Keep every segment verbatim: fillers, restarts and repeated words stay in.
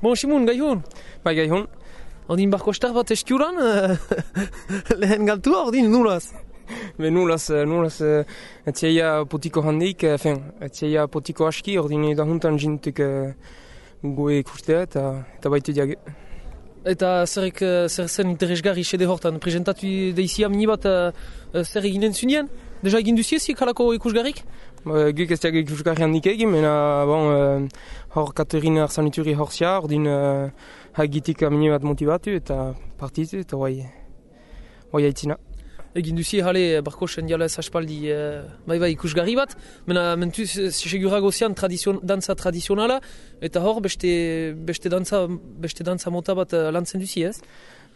Bon, Simon, gai hon? Bai, gai hon. Ordin barko star bat eskuran, lehen galtua, ordin nulaz? Be nulaz, nulaz, etxeia potiko handik, fin, etxeia potiko aski, ordin da juntan jintuk goe ikustea eta, eta baitu diage. Eta zerrek, zer zen interesgarri sede hortan, presentatu deizia mini bat zer eginen zunien? Deja egin duziezik halako ikusgarrik? Guk ez diag ikusgarri handik egin, mena bon, hor Katerina Arsanituri horzia, ordin hagitik mini bat motivatu eta partitu eta guai, guai haitzina. Egin duzie jale barko sendialez aspaldi bai bai ikusgarri bat, mena mentu segurago zian tradizion, dantza tradizionala, eta hor beste, beste, dantza, beste dantza mota bat lantzen duzi ez?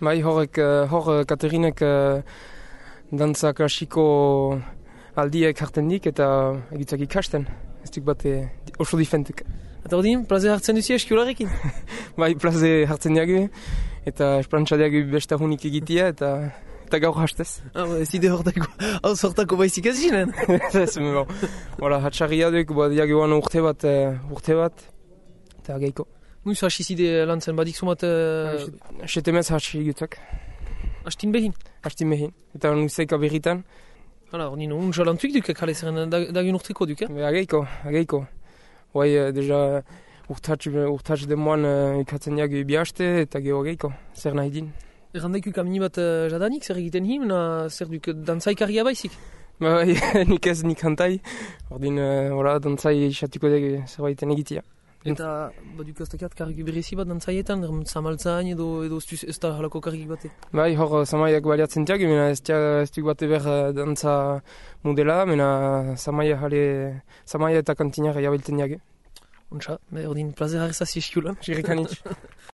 Bai, horrek, hor Katerinek dantza klasiko aldiek hartzen dik eta egitzak ikasten, ez duk bat oso difentuk. Eta ordin, plaze hartzen duzi eskiularekin? Bai, plaze hartzen diagu, eta esplantza diagu beste hunik egitea, eta eta gaur hastez. Ah, ez ide hortako, hau sortako baizik ez ginen? Ez, bon. Voilà, hatxarria duk, diagu guan urte bat, urte bat, eta geiko. Muiz hasi zide lantzen badik sumat... Setemez hasi gutzak. Hastin behin? Hastin behin, eta nuzeika berritan. Hala, ordin, unja lantuik duk, kale zeren dagun urteko duk, eh? Ageiko, ageiko. Hoi, deja, urtatx demoan ikatzen diagu bihaste, eta geho ageiko, zer nahi din. Errandaikuk amini bat jadanik, zer egiten him, na zer duk dantzaikaria baizik? Ba, nik ez nik hantai, ordin, hola, dantzai isatuko dugu zerbaiten egitea. Eta, baduk aztakiat karrik berezi bat dantzaietan, zamaltzain edo edo ez da halako karrik bate? Bai, hor zamaiak baliatzen tiago, mena ez duk bate ber dantza modela, mena zamaia jale, zamaia eta kantinak jabiltzen diage. Ontsa, ordin plazer harrezaz eskulan. Jirrikanitz.